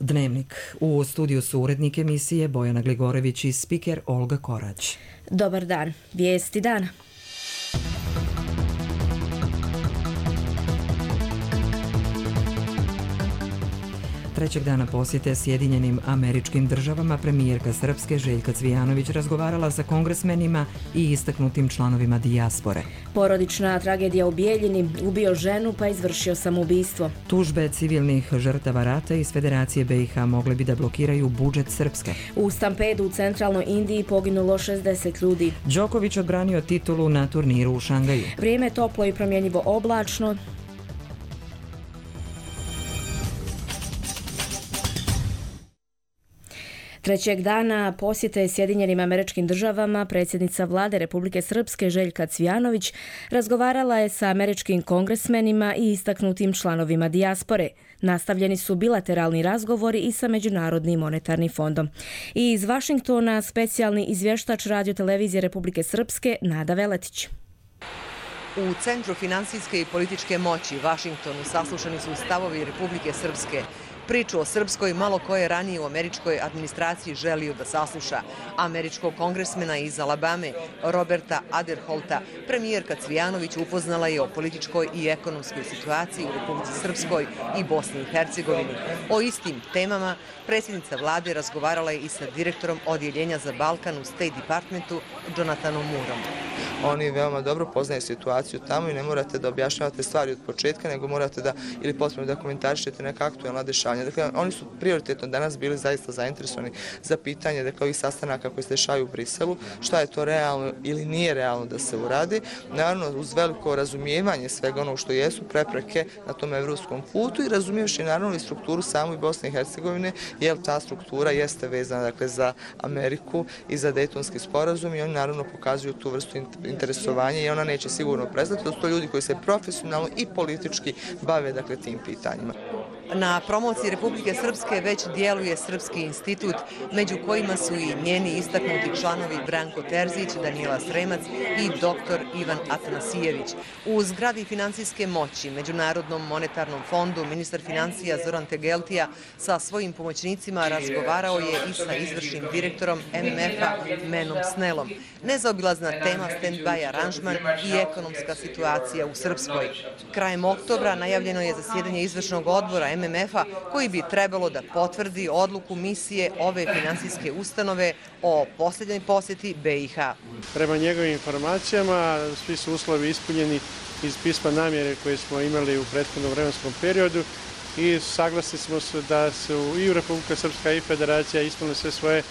Dnevnik. U studiju su urednik emisije Bojana Gligorević i spiker Olga Korać. Dobar dan. Vijesti dana. Trećeg dana posjete Sjedinjenim Američkim Državama premijerka Srpske Željka Cvijanović razgovarala sa kongresmenima i istaknutim članovima dijaspore. Porodična tragedija u Bijeljini, ubio ženu pa izvršio samoubistvo. Tužbe civilnih žrtava rata iz Federacije BiH mogle bi da blokiraju budžet Srpske. U stampedu u centralnoj Indiji poginulo 60 ljudi. Đoković odbranio titulu na turniru u Šangaju. Vrijeme je toplo i promjenjivo oblačno. Trećeg dana posjete Sjedinjenim Američkim Državama predsjednica vlade Republike Srpske Željka Cvijanović razgovarala je sa američkim kongresmenima i istaknutim članovima dijaspore. Nastavljeni su bilateralni razgovori i sa Međunarodnim monetarnim fondom. I iz Vašingtona specijalni izvještač radiotelevizije Republike Srpske Nada Veletić. U Centru finansijske i političke moći Vašingtonu saslušani su stavovi Republike Srpske. Priču o Srpskoj malo ko je ranije u američkoj administraciji želio da sasluša. Američkog kongresmena iz Alabame, Roberta Aderholta, premijerka Cvijanović upoznala je o političkoj i ekonomskoj situaciji u Republici Srpskoj i Bosni i Hercegovini. O istim temama predsjednica vlade razgovarala je i sa direktorom odjeljenja za Balkan u State Departmentu Jonathanom Moorom. Oni veoma dobro poznaju situaciju tamo i ne morate da objašnjavate stvari od početka, nego morate da ili potpuno da komentarišete neka aktualna dešavanja. Dakle, oni su prioritetno danas bili zaista zainteresovani za pitanje dakle, ovih sastanaka koji se dešavaju u Briselu, šta je to realno ili nije realno da se uradi. Naravno, uz veliko razumijevanje svega onog što jesu prepreke na tom evropskom putu i razumijevši naravno i strukturu samu i Bosne i Hercegovine, jer ta struktura jeste vezana dakle, za Ameriku i za Dejtonski sporazum i oni naravno pokazuju tu vrstu interesovanja i ona neće sigurno prestati. To su to ljudi koji se profesionalno i politički bave dakle, tim pitanjima. Na promociji Republike Srpske već djeluje Srpski institut, među kojima su i njeni istaknuti članovi Branko Terzić, Danijela Sremac i dr. Ivan Atanasijević. U zgradi finansijske moći Međunarodnom monetarnom fondu ministar financija Zoran Tegeltija sa svojim pomoćnicima razgovarao je i sa izvršnim direktorom MMF-a Menom Snellom. Nezaobilazna tema stand-by aranžman i ekonomska situacija u Srpskoj. Krajem oktobra najavljeno je zasjedanje izvršnog odbora MMF-a koji bi trebalo da potvrdi odluku misije ove finansijske ustanove o posljednjoj posjeti BiH. Prema njegovim informacijama svi su uslovi ispunjeni iz pisma namjere koje smo imali u prethodnom vremenskom periodu i saglasni smo se da su i Republika Srpska i Federacija ispunili sve svoje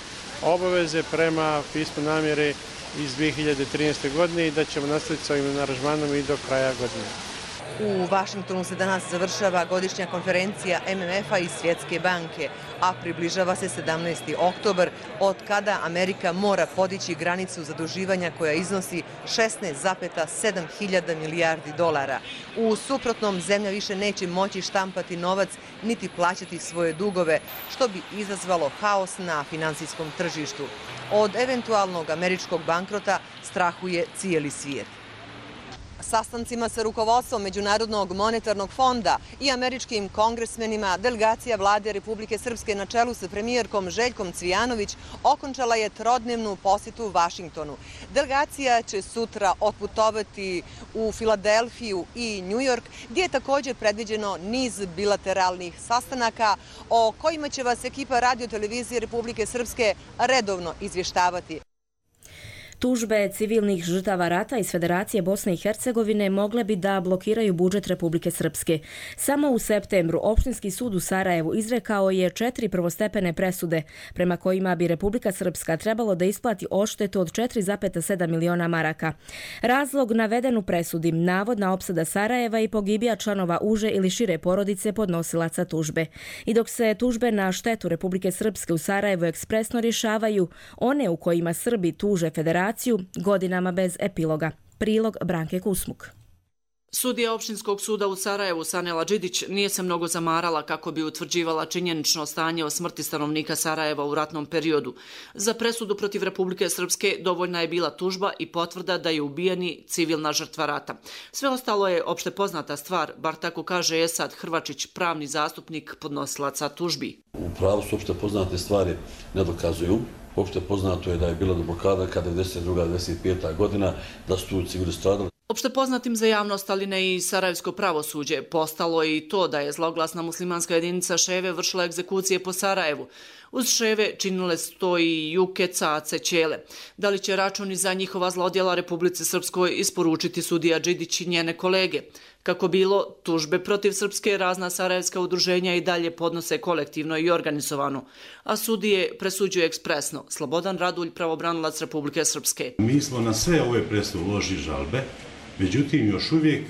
obaveze prema pismu namjere iz 2013. godine i da ćemo nastaviti s ovim aranžmanom i do kraja godine. U Vašingtonu se danas završava godišnja konferencija MMF-a i Svjetske banke, a približava se 17. oktobar, od kada Amerika mora podići granicu zaduživanja koja iznosi 16,7 hiljada milijardi dolara. U suprotnom, zemlja više neće moći štampati novac niti plaćati svoje dugove, što bi izazvalo haos na finansijskom tržištu. Od eventualnog američkog bankrota strahuje cijeli svijet. Sastancima sa rukovodstvom Međunarodnog monetarnog fonda i američkim kongresmenima delegacija vlade Republike Srpske na čelu sa premijerkom Željkom Cvijanović okončala je trodnevnu posjetu u Vašingtonu. Delegacija će sutra otputovati u Filadelfiju i Njujork, gdje je također predviđeno niz bilateralnih sastanaka o kojima će vas ekipa radiotelevizije Republike Srpske redovno izvještavati. Tužbe civilnih žrtava rata iz Federacije Bosne i Hercegovine mogle bi da blokiraju budžet Republike Srpske. Samo u septembru Opštinski sud u Sarajevu izrekao je 4 prvostepene presude, prema kojima bi Republika Srpska trebalo da isplati odštetu od 4,7 miliona maraka. Razlog naveden u presudi, navodna opsada Sarajeva i pogibija članova uže ili šire porodice podnosilaca tužbe. I dok se tužbe na štetu Republike Srpske u Sarajevu ekspresno rješavaju, one u kojima Srbi tuže Federaciju godinama bez epiloga. Prilog Branke Kusmuk. Sudija Opštinskog suda u Sarajevu Sanela Đidić nije se mnogo zamarala kako bi utvrđivala činjenično stanje o smrti stanovnika Sarajeva u ratnom periodu. Za presudu protiv Republike Srpske dovoljna je bila tužba i potvrda da je ubijeni civilna žrtva rata. Sve ostalo je opšte poznata stvar, bar tako kaže Esad Hrvačić, pravni zastupnik podnosilaca tužbi. U U pravu su opšte poznate stvari ne dokazuju. Opšte poznato je da je bila blokada kada je 1992-1995. godina, da su tu civili stradali. Opšte poznatim za javnost, ali ne i sarajevsko pravosuđe, postalo je i to da je zloglasna muslimanska jedinica Ševe vršila egzekucije po Sarajevu. Uz Ševe činile su to i Juke, Cace, Ćele. Da li će računi za njihova zlodjela Republici Srpskoj isporučiti sudija Đidić i njene kolege? Kako bilo, tužbe protiv Srpske razna sarajevska udruženja i dalje podnose kolektivno i organizovano, a sudije presuđuju ekspresno. Slobodan Radulj, pravobranilac Republike Srpske. Mi smo na sve ove presude uložili žalbe, međutim još uvijek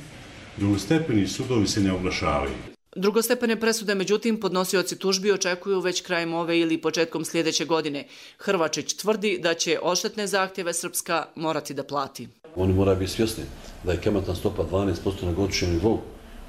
drugostepeni sudovi se ne oglašavaju. Drugostepene presude, međutim, podnosioci tužbi očekuju već krajem ove ili početkom sljedeće godine. Hrvačić tvrdi da će odštetne zahtjeve Srpska morati da plati. Oni moraju biti svjesni da je kamatna stopa 12% na godišnjem nivou.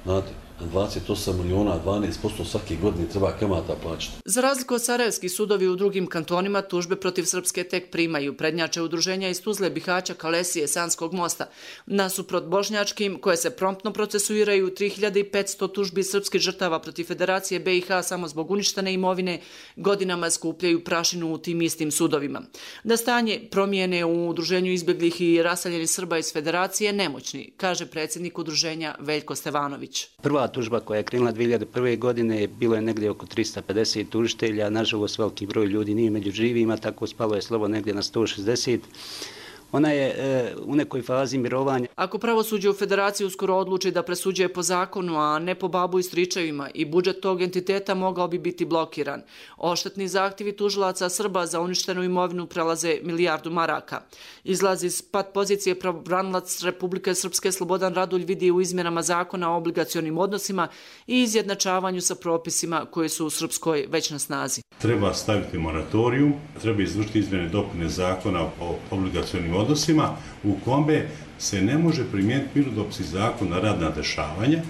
Znate, na 28 miliona, 12% svake godine treba kamata plaćati. Za razliku od sarajevskih sudovi u drugim kantonima, tužbe protiv Srpske tek primaju. Prednjače udruženja iz Tuzle, Bihaća, Kalesije, Sanskog mosta. Nasuprot bošnjačkim, koje se promptno procesuiraju, 3500 tužbi srpskih žrtava protiv Federacije BiH samo zbog uništene imovine godinama skupljaju prašinu u tim istim sudovima. Da stanje promijene u udruženju izbjeglih i raseljenih Srba iz Federacije nemoćni, kaže predsjednik udruženja Veljko Stevanović. Prva tužba koja je krenula 2001. godine bilo je negdje oko 350 tužitelja, nažalost veliki broj ljudi nije među živima, tako spalo je slovo negdje na 160. Ona je u nekoj fazi mirovanja. Ako pravosuđe u Federaciji uskoro odluči da presuđuje po zakonu, a ne po babu i stričevima, i budžet tog entiteta mogao bi biti blokiran. Odštetni zahtjevi tužilaca Srba za uništenu imovinu prelaze 1 milijardu maraka. Izlaz iz pat pozicije pravobranilac Republike Srpske Slobodan Radulj vidi u izmjenama zakona o obligacionim odnosima i izjednačavanju sa propisima koji su u Srpskoj već na snazi. Treba staviti moratorium, treba izvršiti izmjene dopune zakona o obligacionim odnosima u kome se ne može primijeniti mirnodopski zakon na radna dešavanja,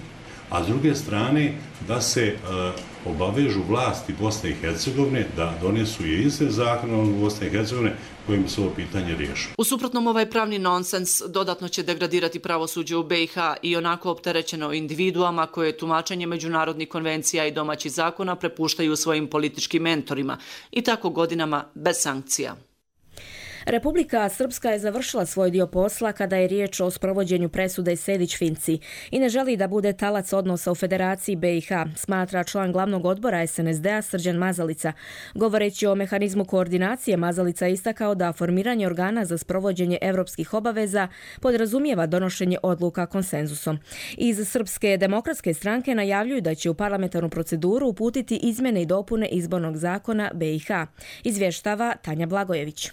a s druge strane da se obavežu vlasti Bosne i Hercegovine da donesu i izmjene zakona o Bosne i Hercegovine kojim se ovo pitanje riješi. U suprotnom, ovaj pravni nonsens dodatno će degradirati pravosuđe u BiH i onako opterećeno individuama koje tumačenje međunarodnih konvencija i domaćih zakona prepuštaju svojim političkim mentorima i tako godinama bez sankcija. Republika Srpska je završila svoj dio posla kada je riječ o sprovođenju presude Sejdić-Finci i ne želi da bude talac odnosa u Federaciji BiH, smatra član glavnog odbora SNSD-a Srđan Mazalica. Govoreći o mehanizmu koordinacije, Mazalica je istakao da formiranje organa za sprovođenje evropskih obaveza podrazumijeva donošenje odluka konsenzusom. Iz Srpske demokratske stranke najavljuju da će u parlamentarnu proceduru uputiti izmjene i dopune izbornog zakona BiH. Izvještava Tanja Blagojević.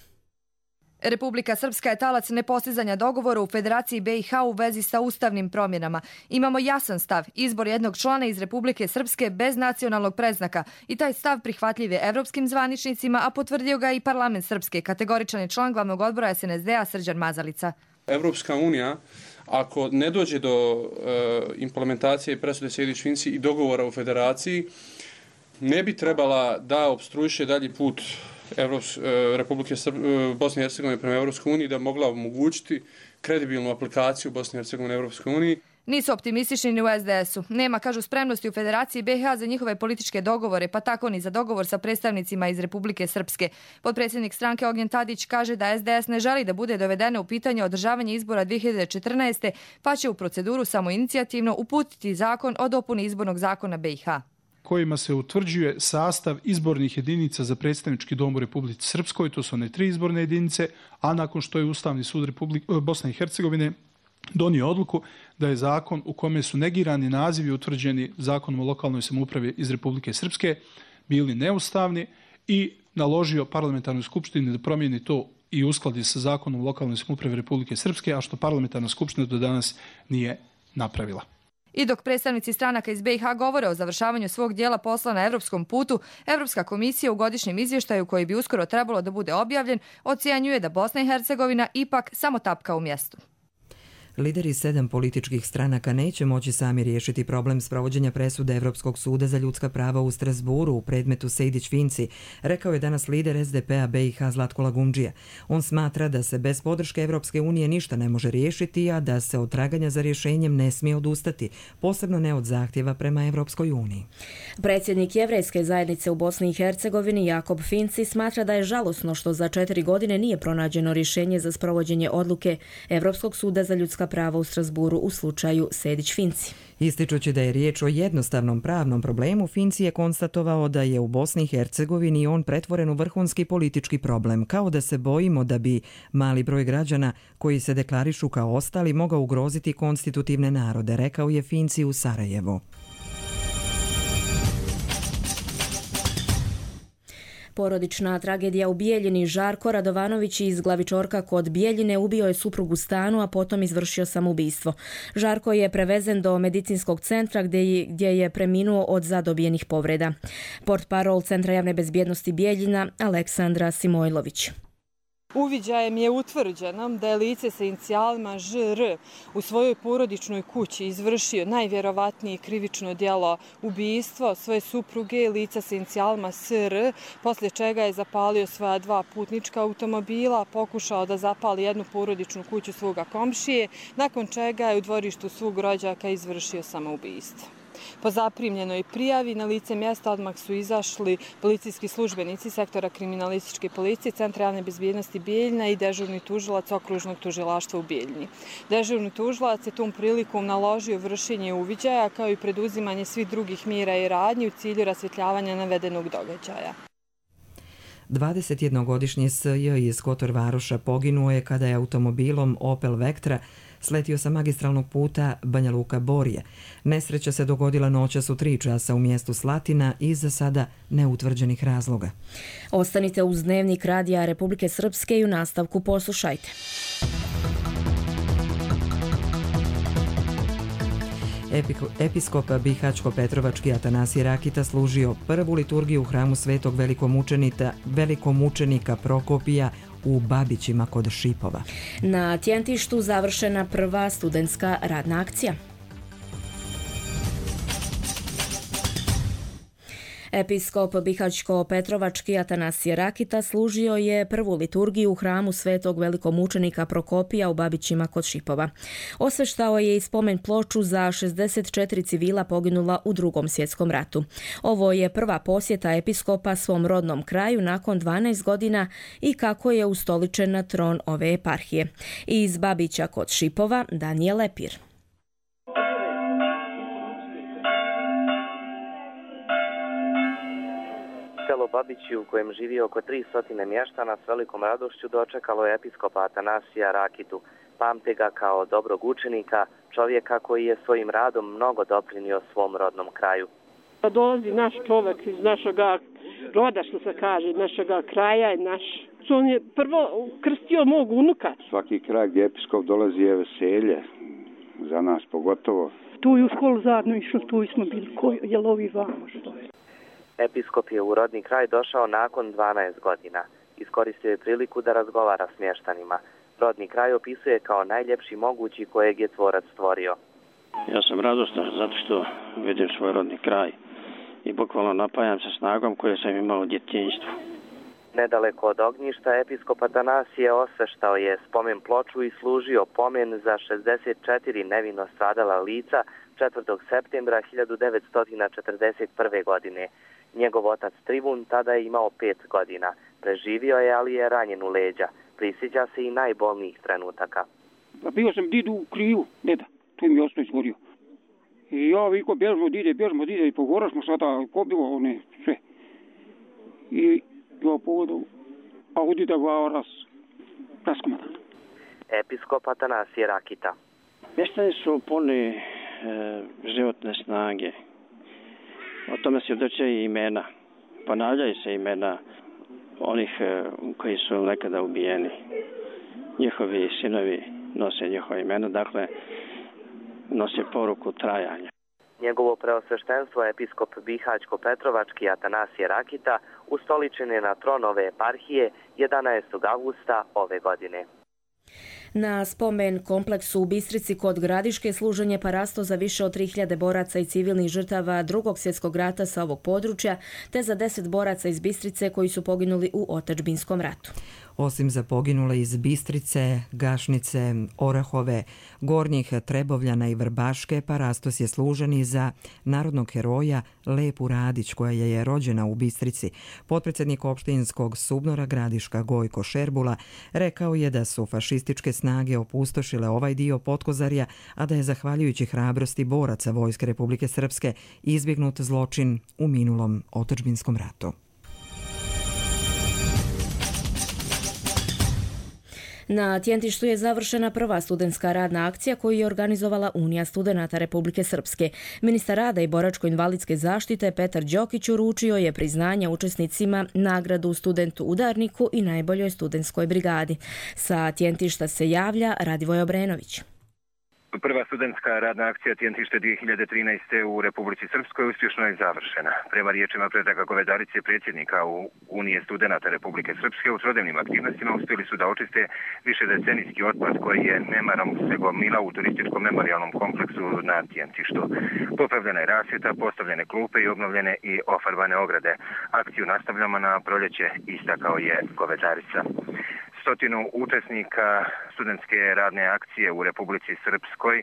Republika Srpska je talac nepostizanja dogovora u Federaciji BiH u vezi sa ustavnim promjenama. Imamo jasan stav, izbor jednog člana iz Republike Srpske bez nacionalnog predznaka i taj stav prihvatljiv je evropskim zvaničnicima, a potvrdio ga i parlament Srpske, kategoričan je član glavnog odbora SNSD-a Srđan Mazalica. Evropska unija, ako ne dođe do implementacije presude Sejdić-Finci i dogovora u Federaciji, ne bi trebala da opstruiše dalji put Republike Bosne i Hercegovine prema Evropskoj uniji, da mogla omogućiti kredibilnu aplikaciju Bosne i Hercegovine Evropskoj uniji. Nisu optimistični ni u SDS-u. Nema, kažu, spremnosti u Federaciji BiH za njihove političke dogovore, pa tako ni za dogovor sa predstavnicima iz Republike Srpske. Potpredsjednik stranke Ognjen Tadić kaže da SDS ne želi da bude dovedeno u pitanje održavanje izbora 2014. pa će u proceduru samoinicijativno uputiti zakon o dopuni izbornog zakona BiH. Kojima se utvrđuje sastav izbornih jedinica za predstavnički dom u Republici Srpskoj, to su one 3 izborne jedinice, a nakon što je Ustavni sud Bosne i Hercegovine donio odluku da je zakon u kome su negirani nazivi utvrđeni zakonom o lokalnoj samoupravi iz Republike Srpske bili neustavni i naložio parlamentarnoj skupštini da promijeni to i uskladi sa zakonom o lokalnoj samoupravi Republike Srpske, a što parlamentarna skupština do danas nije napravila. I dok predstavnici stranaka iz BiH govore o završavanju svog dijela posla na evropskom putu, Evropska komisija u godišnjem izvještaju koji bi uskoro trebalo da bude objavljen, ocjenjuje da Bosna i Hercegovina ipak samo tapka u mjestu. Lideri 7 političkih stranaka neće moći sami riješiti problem sprovođenja presude Evropskog suda za ljudska prava u Strasburu u predmetu Sejdić-Finci, rekao je danas lider SDP-a BiH Zlatko Lagundžija. On smatra da se bez podrške Evropske unije ništa ne može riješiti, a da se od traganja za rješenjem ne smije odustati, posebno ne od zahtjeva prema Evropskoj uniji. Predsjednik Jevrejske zajednice u Bosni i Hercegovini Jakob Finci smatra da je žalosno što za 4 godine nije pronađeno rješenje za sprovođenje odluke Evropskog suda za ljudska prava u Strasburu u slučaju Sejdić-Finci. Ističući da je riječ o jednostavnom pravnom problemu, Finci je konstatovao da je u Bosni i Hercegovini on pretvoren u vrhunski politički problem, kao da se bojimo da bi mali broj građana koji se deklarišu kao ostali mogao ugroziti konstitutivne narode, rekao je Finci u Sarajevu. Porodična tragedija u Bijeljini. Žarko Radovanović iz Glavičorka kod Bijeljine ubio je suprugu u stanu, a potom izvršio samoubistvo. Žarko je prevezen do medicinskog centra gdje je preminuo od zadobijenih povreda. Portparol Centra javne bezbjednosti Bijeljina Aleksandra Simojlović. Uviđajem je utvrđeno da je lice sa inicijalima ŽR u svojoj porodičnoj kući izvršio najvjerovatnije krivično djelo ubijstvo svoje supruge i lica sa inicijalima SR, poslije čega je zapalio svoja 2 putnička automobila, pokušao da zapali jednu porodičnu kuću svoga komšije, nakon čega je u dvorištu svog rođaka izvršio samoubistvo. Po zaprimljenoj prijavi na lice mjesta odmah su izašli policijski službenici sektora kriminalističke policije, Centra javne bezbjednosti Bijeljina i dežurni tužilac okružnog tužilaštva u Bijeljini. Dežurni tužilac je tom prilikom naložio vršenje uviđaja kao i preduzimanje svih drugih mjera i radnji u cilju rasvjetljavanja navedenog događaja. 21-godišnji S.J. iz Kotor Varoša poginuo je kada je automobilom Opel Vectra sletio sa magistralnog puta Banja Luka-Borje. Nesreća se dogodila noćas u 3 časa u mjestu Slatina iz za sada neutvrđenih razloga. Ostanite uz Dnevnik Radija Republike Srpske i u nastavku poslušajte. Episkop Bihaćko-Petrovački Atanasije Rakita služio prvu liturgiju u hramu Svetog velikomučenika Prokopija u Babićima kod Šipova. Na Tjentištu završena prva studentska radna akcija. Episkop Bihaćko-Petrovački Atanasije Rakita služio je prvu liturgiju u hramu Svetog velikomučenika Prokopija u Babićima kod Šipova. Osveštao je i spomen ploču za 64 civila poginula u Drugom svjetskom ratu. Ovo je prva posjeta episkopa svom rodnom kraju nakon 12 godina i kako je ustoličen na tron ove eparhije. Iz Babića kod Šipova Danijel Lepir. Selo Babići u kojem živi oko 300 mještana s velikom radošću dočekalo je episkopa Atanasija Rakitu. Pamte ga kao dobrog učenika, čovjeka koji je svojim radom mnogo doprinio svom rodnom kraju. Dolazi naš čovjek iz našega roda, što se kaže, našega kraja. On je prvo krstio mog unuka. Svaki kraj gdje episkop dolazi je veselje, za nas pogotovo. Tu je u školu zajedno išlo, tu smo bili, jel ovi vamo što je. Episkop je u rodni kraj došao nakon 12 godina. Iskoristio je priliku da razgovara s mještanima. Rodni kraj opisuje kao najljepši mogući kojeg je tvorac stvorio. Ja sam radostan zato što vidim svoj rodni kraj i bukvalno napajam se snagom koje sam imao u djetinjstvu. Nedaleko od ognjišta episkop Atanasije osveštao je spomen ploču i služio pomen za 64 nevino stradala lica 4. septembra 1941. godine. Njegov otac Tribun tada je imao 5 godina. Preživio je, ali je ranjen u leđa. Prisjeća se i najbolnijih trenutaka. Bio sam didu u krivu, deda. Tu mi je osnoć izgorio. I ja viko bježmo dide i pogora smo sada pobilo one sve. I ja povodu, a udida glava raskomadan. Episkop Atanasije Rakita. Mještani su puni životne snage. O tome svjedoče i imena. Ponavljaju se imena onih koji su nekada ubijeni. Njihovi sinovi nose njihova imena, dakle nose poruku trajanja. Njegovo preosveštenstvo episkop Bihaćko-Petrovački Atanasije Rakita ustoličen je na tron ove eparhije 11. avgusta ove godine. Na spomen kompleksu u Bistrici kod Gradiške služenje parasto za više od 3000 boraca i civilnih žrtava Drugog svjetskog rata sa ovog područja, te za 10 boraca iz Bistrice koji su poginuli u otadžbinskom ratu. Osim za poginule iz Bistrice, Gašnice, Orahove, Gornjih Trebovljana i Vrbaške, parastos je služen i za narodnog heroja Lepu Radić, koja je rođena u Bistrici. Potpredsjednik opštinskog Subnora Gradiška Gojko Šerbula rekao je da su fašističke snage opustošile ovaj dio Potkozarja, a da je zahvaljujući hrabrosti boraca Vojske Republike Srpske izbjegnut zločin u minulom otadžbinskom ratu. Na Tjentištu je završena prva studentska radna akcija koju je organizovala Unija studenata Republike Srpske. Ministar rada i boračko-invalidske zaštite Petar Đokić uručio je priznanje učesnicima, nagradu studentu udarniku i najboljoj studentskoj brigadi. Sa Tjentišta se javlja Radivoj Obrenović. Prva studentska radna akcija Tjentište 2013. u Republici Srpskoj uspješno je završena. Prema riječima Predraga Govedarice, predsjednika Unije studenata Republike Srpske, u trodnevnim aktivnostima uspjeli su da očiste višedecenijski otpad koji je nemarom se gomila u turističkom memorijalnom kompleksu na Tjentištu. Popravljena je rasvjeta, postavljene klupe i obnovljene i ofarbane ograde. Akciju nastavljamo na proljeće, istakao je Govedarica. 100 učesnika studentske radne akcije u Republici Srpskoj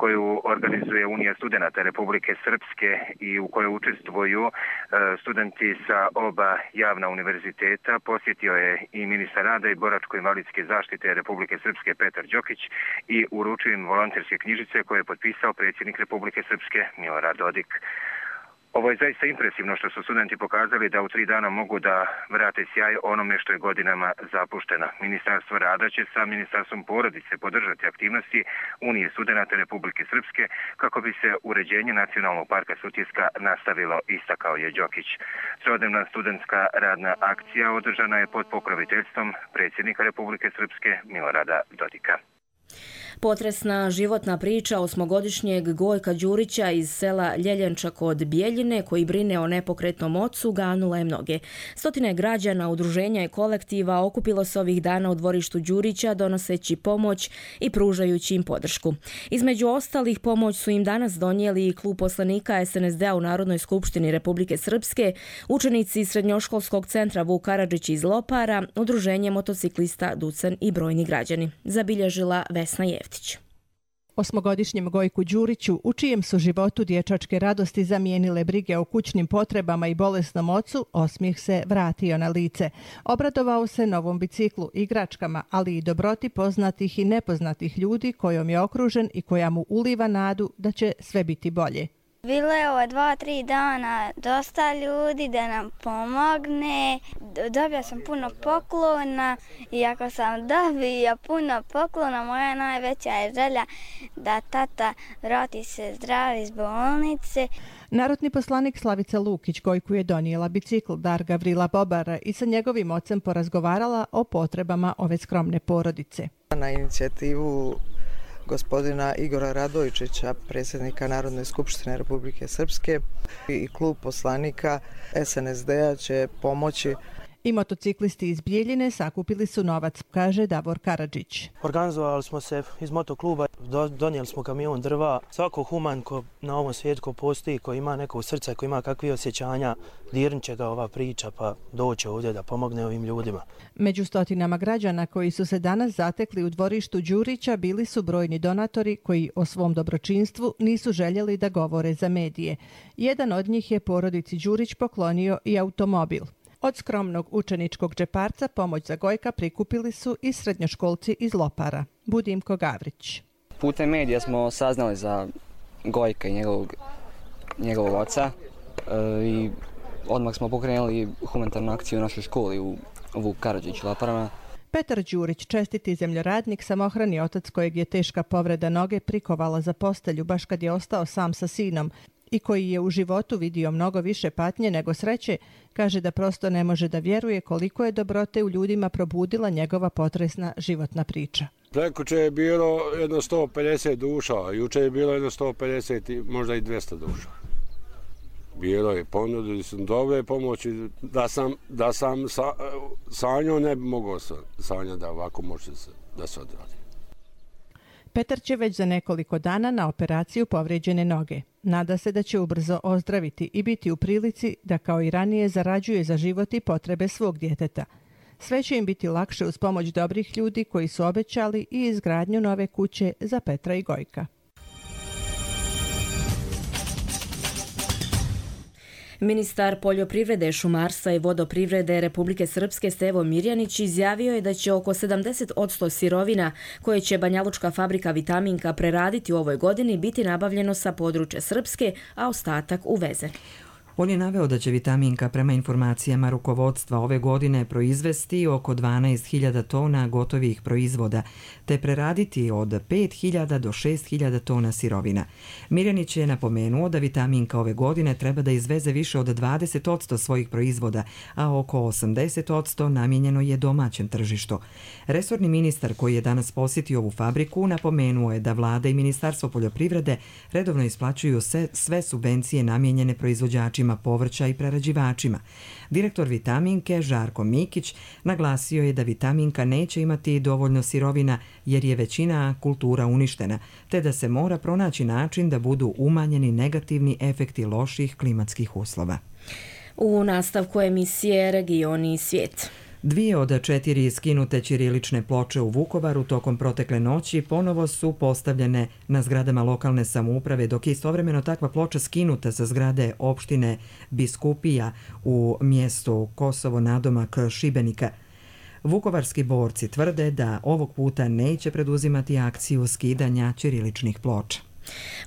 koju organizuje Unija studenata Republike Srpske i u kojoj učestvuju studenti sa oba javna univerziteta posjetio je i ministar rada i boračko-invalidske zaštite Republike Srpske Petar Đokić i uručio im volonterske knjižice koje je potpisao predsjednik Republike Srpske Milorad Dodik. Ovo je zaista impresivno što su studenti pokazali da u 3 dana mogu da vrate sjaj onome što je godinama zapušteno. Ministarstvo rada će sa Ministarstvom porodice podržati aktivnosti Unije studenata Republike Srpske kako bi se uređenje Nacionalnog parka Sutjeska nastavilo, istakao je Đokić. Trodnevna studentska radna akcija održana je pod pokroviteljstvom predsjednika Republike Srpske Milorada Dodika. Potresna životna priča 8-godišnjeg Gojka Đurića iz sela Ljeljenča kod Bijeljine, koji brine o nepokretnom ocu, ganula je mnoge. Stotine građana, udruženja i kolektiva okupilo se ovih dana u dvorištu Đurića donoseći pomoć i pružajući im podršku. Između ostalih pomoć su im danas donijeli i klub poslanika SNSD-a u Narodnoj skupštini Republike Srpske, učenici srednjoškolskog centra Vuk Karadžić iz Lopara, udruženje motociklista Ducen i brojni građani. Zabilježila Vesna Jeftić. 8-godišnjem Gojku Đuriću, u čijem su životu dječačke radosti zamijenile brige o kućnim potrebama i bolesnom ocu, osmijeh se vratio na lice. Obradovao se novom biciklu, igračkama, ali i dobroti poznatih i nepoznatih ljudi kojom je okružen i koja mu uliva nadu da će sve biti bolje. Bilo je ovo 2-3 dana dosta ljudi da nam pomogne. Dobio sam puno poklona i ako sam dobio puno poklona, moja najveća je želja da tata vrati se zdrav iz bolnice. Narodni poslanik Slavica Lukić Gojku je donijela bicikl dar Gavrila Bobara i sa njegovim ocem porazgovarala o potrebama ove skromne porodice. Na inicijativu gospodina Igora Radojičića, predsjednika Narodne skupštine Republike Srpske, i klub poslanika SNSD-a će pomoći. I motociklisti iz Bijeljine sakupili su novac, kaže Davor Karadžić. Organizovali smo se iz motokluba, donijeli smo kamion drva. Svako human ko na ovom svijetu ko postoji, ko ima neko srce, ko ima kakve osjećanja, dirnit će ga ova priča pa doće ovdje da pomogne ovim ljudima. Među stotinama građana koji su se danas zatekli u dvorištu Đurića bili su brojni donatori koji o svom dobročinstvu nisu željeli da govore za medije. Jedan od njih je porodici Đurić poklonio i automobil. Od skromnog učeničkog džeparca pomoć za Gojka prikupili su i srednjoškolci iz Lopara. Budimko Gavrić. Putem medija smo saznali za Gojka i njegovog oca i odmah smo pokrenuli humanitarnu akciju u našoj školi u Vuk Karadžić Loparama. Petar Đurić, čestiti zemljoradnik, samohrani otac kojeg je teška povreda noge prikovala za postelju baš kad je ostao sam sa sinom i koji je u životu vidio mnogo više patnje nego sreće, kaže da prosto ne može da vjeruje koliko je dobrote u ljudima probudila njegova potresna životna priča. Prekuće je bilo jedno 150 duša, a juče je bilo jedno 150, možda i 200 duša. Bilo je, ponudili su dobre pomoći, da sam sanjao ne bi mogao sanjati da ovako može da se odradi. Petar će već za nekoliko dana na operaciju povrijeđene noge. Nada se da će ubrzo ozdraviti i biti u prilici da kao i ranije zarađuje za život i potrebe svog djeteta. Sve će im biti lakše uz pomoć dobrih ljudi koji su obećali i izgradnju nove kuće za Petra i Gojka. Ministar poljoprivrede, šumarstva i vodoprivrede Republike Srpske Stevo Mirjanić izjavio je da će oko 70% sirovina koje će Banjalučka fabrika Vitaminka preraditi u ovoj godini biti nabavljeno sa područja Srpske, a ostatak uvezen. On je naveo da će Vitaminka prema informacijama rukovodstva ove godine proizvesti oko 12.000 tona gotovih proizvoda, te preraditi od 5.000 do 6.000 tona sirovina. Mirjanić je napomenuo da Vitaminka ove godine treba da izveze više od 20% svojih proizvoda, a oko 80% namijenjeno je domaćem tržištu. Resorni ministar koji je danas posjetio ovu fabriku napomenuo je da vlada i Ministarstvo poljoprivrede redovno isplaćuju sve subvencije namijenjene proizvođačima povrća i prerađivačima. Direktor Vitaminke Žarko Mikić naglasio je da Vitaminka neće imati dovoljno sirovina jer je većina kultura uništena, te da se mora pronaći način da budu umanjeni negativni efekti loših klimatskih uslova. U nastavku emisije Regioni i svijet. 2 od 4 skinute ćirilične ploče u Vukovaru tokom protekle noći ponovo su postavljene na zgradama lokalne samouprave, dok je istovremeno takva ploča skinuta sa zgrade opštine Biskupija u mjestu Kosovo nadomak Šibenika. Vukovarski borci tvrde da ovog puta neće preduzimati akciju skidanja ćiriličnih ploča.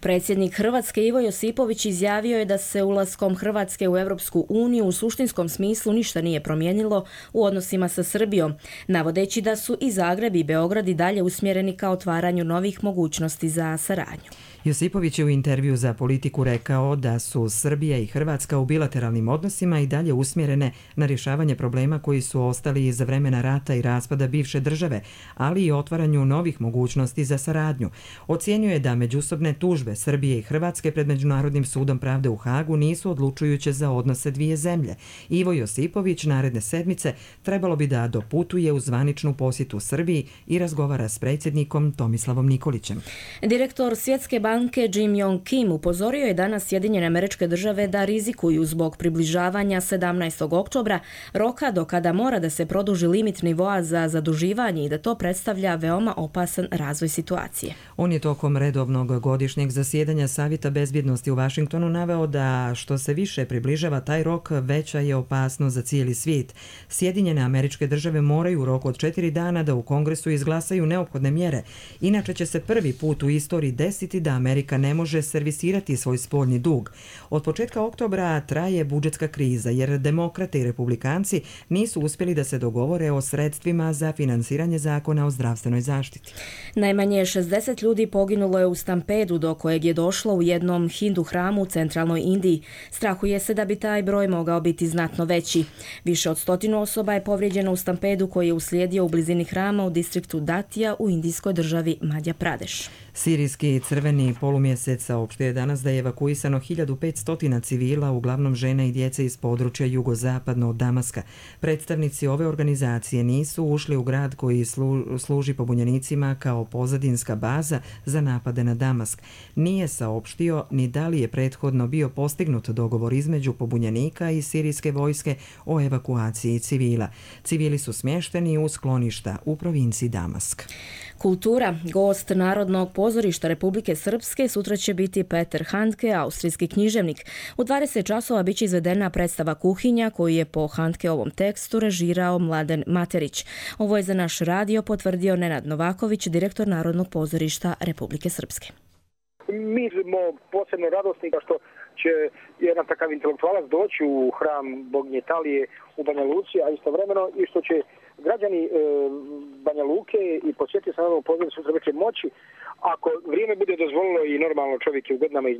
Predsjednik Hrvatske Ivo Josipović izjavio je da se ulaskom Hrvatske u Europsku uniju u suštinskom smislu ništa nije promijenilo u odnosima sa Srbijom, navodeći da su i Zagreb i Beograd i dalje usmjereni ka otvaranju novih mogućnosti za saradnju. Josipović je u intervju za Politiku rekao da su Srbija i Hrvatska u bilateralnim odnosima i dalje usmjerene na rješavanje problema koji su ostali iza vremena rata i raspada bivše države, ali i otvaranju novih mogućnosti za saradnju. Ocijenio je da međusobne tužbe Srbije i Hrvatske pred Međunarodnim sudom pravde u Hagu nisu odlučujuće za odnose dvije zemlje. Ivo Josipović naredne sedmice trebalo bi da doputuje u zvaničnu posjetu Srbiji i razgovara s predsjednikom Tomislavom Nikolićem. Direktor Svjetske banke Jim Yong Kim upozorio je danas Sjedinjene Američke Države da rizikuju zbog približavanja 17. oktobra, roka do kada mora da se produži limit nivoa za zaduživanje i da to predstavlja veoma opasan razvoj situacije. On je tokom redovnog godišnjeg zasjedanja Savjeta bezbjednosti u Vašingtonu naveo da što se više približava taj rok, veća je opasnost za cijeli svijet. Sjedinjene Američke Države moraju u roku od 4 dana da u Kongresu izglasaju neophodne mjere. Inače će se prvi put u istoriji desiti da Amerika ne može servisirati svoj spoljni dug. Od početka oktobra traje budžetska kriza jer demokrate i republikanci nisu uspjeli da se dogovore o sredstvima za finansiranje zakona o zdravstvenoj zaštiti. Najmanje 60 ljudi poginulo je u stampedu do kojeg je došlo u jednom hindu hramu u centralnoj Indiji. Strahuje se da bi taj broj mogao biti znatno veći. Više od 100 osoba je povrijeđeno u stampedu koji je uslijedio u blizini hrama u distriktu Datija u indijskoj državi Madhja Pradeš. Sirijski crveni polumjesec saopštio je danas da je evakuisano 1500 civila, uglavnom žena i djece iz područja jugozapadno od Damaska. Predstavnici ove organizacije nisu ušli u grad koji služi pobunjenicima kao pozadinska baza za napade na Damask. Nije saopštio ni da li je prethodno bio postignut dogovor između pobunjenika i sirijske vojske o evakuaciji civila. Civili su smješteni u skloništa u provinciji Damask. Kultura. Gost Narodnog pozorišta Republike Srpske sutra će biti Peter Handke, austrijski književnik. U 20 časova biće izvedena predstava Kuhinja koju je po Handkeovom tekstu režirao Mladen Materić. Ovo je za naš radio potvrdio Nenad Novaković, direktor Narodnog pozorišta Republike Srpske. Mi smo posebno radosni što će jedan takav intelektualac doći u hram boginje Italije u Banja Luci, a istovremeno i što će građani Banja Luke i posjetiti sa Narodnog pozorišta sutra večer moći, ako vrijeme bude dozvolilo i normalno čovjek je u godinama iz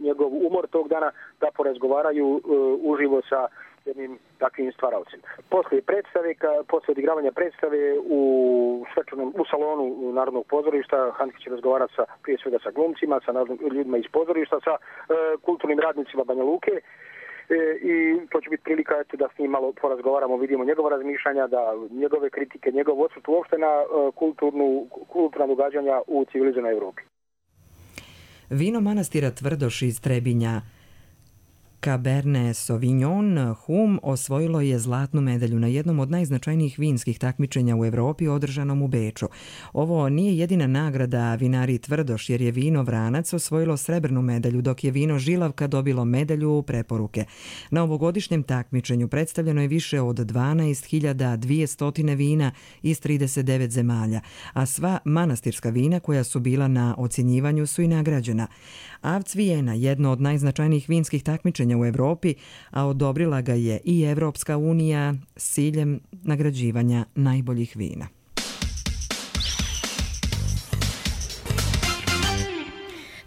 njegov umor tog dana, da porazgovaraju uživo sa jednim takvim stvaravcem. Poslije odigravanja predstave u salonu Narodnog pozorišta Handke će razgovarati prije svega sa glumcima, sa ljudima iz pozorišta, sa kulturnim radnicima Banja Luke. i to će biti prilika da s njim malo porazgovaramo, vidimo njegova razmišljanja, da njegove kritike, njegov odsud uopšte na kulturna događanja u civilizovanoj Evropi. Vino manastira Tvrdoš iz Trebinja Cabernet Sauvignon Hum osvojilo je zlatnu medalju na jednom od najznačajnijih vinskih takmičenja u Evropi održanom u Beču. Ovo nije jedina nagrada vinari Tvrdoš, jer je vino Vranac osvojilo srebrnu medalju, dok je vino Žilavka dobilo medalju preporuke. Na ovogodišnjem takmičenju predstavljeno je više od 12.200 vina iz 39 zemalja, a sva manastirska vina koja su bila na ocjenjivanju su i nagrađena. Avc Vijena, jedno od najznačajnijih vinskih takmičenja u Evropi, a odobrila ga je i Evropska unija s ciljem nagrađivanja najboljih vina.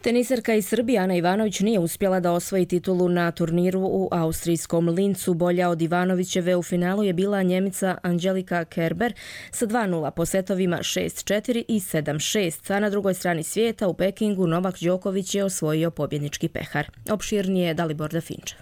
Teniserka iz Srbije Ana Ivanović nije uspjela da osvoji titulu na turniru u austrijskom Lincu. Bolja od Ivanovićeve u finalu je bila Njemica Angelika Kerber sa 2:0 po setovima 6-4 i 7-6, a na drugoj strani svijeta u Pekingu Novak Đoković je osvojio pobjednički pehar. Opširnije Dalibor Dafinčev.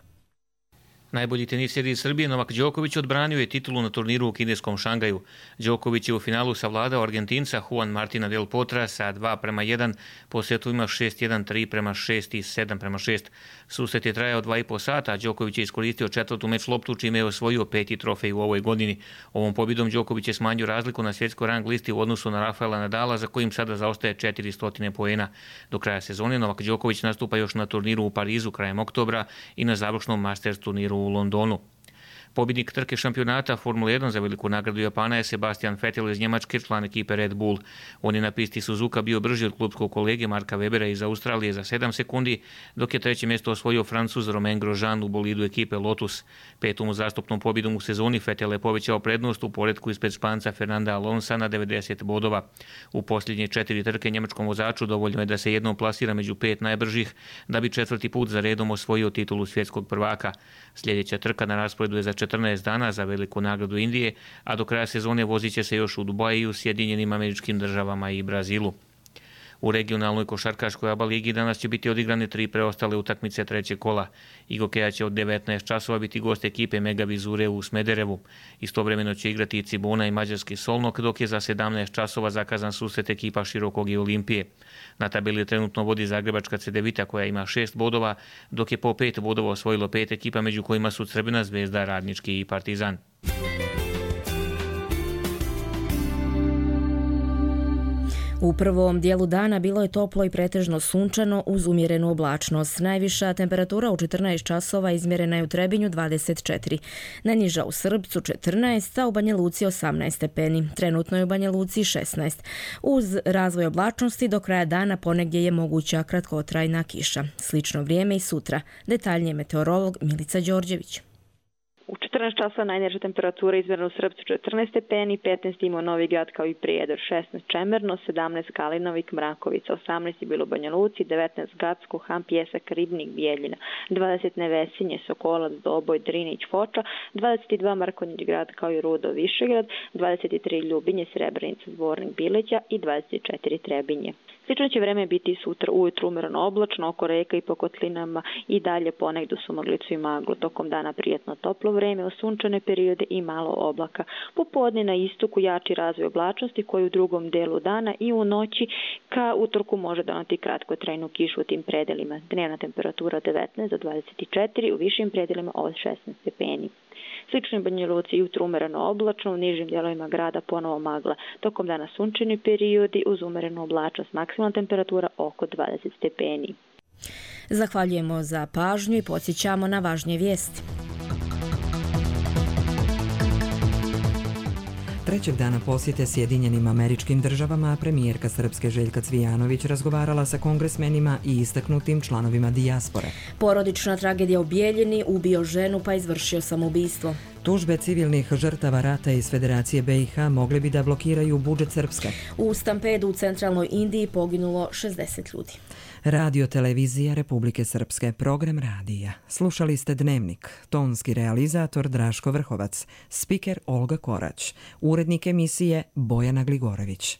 Najbolji teniser iz Srbije Novak Đoković odbranio je titulu na turniru u kineskom Šangaju. Đoković je u finalu savladao Argentinca Juan Martina del Potra sa 2:1 po setovima 6-1, 3:6 i 7:6. Susret je trajao 2,5 sata, a Đoković je iskoristio četvrtu meč loptu, čime je osvojio 5. trofej u ovoj godini. Ovom pobjedom Đoković je smanjio razliku na svjetskoj rang listi u odnosu na Rafaela Nadala, za kojim sada zaostaje 400 poena. Do kraja sezone Novak Đoković nastupa još na turniru u Parizu krajem oktobra i na završnom Masters turniru u Londonu. Pobjednik trke šampionata Formule 1 za veliku nagradu Japana je Sebastian Vettel iz Njemačke, član ekipe Red Bull. On je na pisti Suzuka bio brži od klubskog kolege Marka Webera iz Australije za 7 sekundi, dok je treće mjesto osvojio Francuz Romain Grosjean u bolidu ekipe Lotus. Petom uzastopnom pobjedom u sezoni Vettel je povećao prednost u poretku ispred Španca Fernanda Alonsa na 90 bodova. U posljednje 4 trke njemačkom vozaču dovoljno je da se jednom plasira među 5 najbržih, da bi 4. put za redom osvojio titulu svjetskog prvaka. Sljedeća trka na rasporedu je za 14 dana za veliku nagradu Indije, a do kraja sezone vozit će se još u Dubaju, Sjedinjenim Američkim Državama i Brazilu. U regionalnoj košarkaškoj ABA ligi danas će biti odigrane 3 preostale utakmice trećeg kola. Igokeja će od 19 časova biti gost ekipe Mega Vizure u Smederevu. Istovremeno će igrati i Cibona i mađarski Solnok, dok je za 17 časova zakazan susret ekipa Širokog i Olimpije. Na tabeli trenutno vodi zagrebačka Cedevita koja ima 6 bodova, dok je po 5 bodova osvojilo 5 ekipa, među kojima su Crvena Zvezda, Radnički i Partizan. U prvom dijelu dana bilo je toplo i pretežno sunčano uz umjerenu oblačnost. Najviša temperatura u 14 časova izmjerena je u Trebinju 24, najniža u Srbcu 14, a u Banja Luci 18 stepeni. Trenutno je u Banja Luci 16. Uz razvoj oblačnosti do kraja dana ponegdje je moguća kratkotrajna kiša. Slično vrijeme i sutra. Detaljnije meteorolog Milica Đorđević. U 14 časova najniža temperatura izmjerena u Srpcu 14 stepeni, 15 imao Novi Grad kao i Prijedor, 16 Čemerno, 17 Kalinovik, Mrakovica, 18 je bilo u Banja Luci, 19 Gacko, Han, Pjesak, Ribnik, Bijeljina, 20 Nevesinje, Sokolac, Doboj, Drinić, Foča, 22 Mrkonjić Grad kao i Rudo, Višegrad, 23 Ljubinje, Srebrenica, Zvornik, Bileća i 24 Trebinje. Slično će vreme biti sutra ujutru umjereno oblačno, oko reka i po kotlinama i dalje ponegdje su maglicu i maglu. Tokom dana prijetno toplo vreme, osunčane periode i malo oblaka. Popodne na istoku jači razvoj oblačnosti koji u drugom delu dana i u noći ka utorku može donati kratkotrajnu kišu u tim predelima. Dnevna temperatura 19 do 24, u višim predelima od 16 stepeni. Slično je Banja Luci jutro umjereno oblačno, u nižim dijelovima grada ponovo magla. Tokom dana sunčani periodi uz umjerenu oblačnost, maksimalna temperatura oko 20 stepeni. Zahvaljujemo za pažnju i podsjećamo na važnije vijesti. Trećeg dana posjete Sjedinjenim Američkim Državama premijerka Srpske Željka Cvijanović razgovarala sa kongresmenima i istaknutim članovima dijaspore. Porodična tragedija u Bijeljini, ubio ženu pa izvršio samoubistvo. Tužbe civilnih žrtava rata iz Federacije BiH mogli bi da blokiraju budžet Srpske. U stampedu u centralnoj Indiji poginulo 60 ljudi. Radio televizija Republike Srpske, program radija. Slušali ste Dnevnik, tonski realizator Draško Vrhovac, spiker Olga Korać, urednik emisije Bojana Gligorović.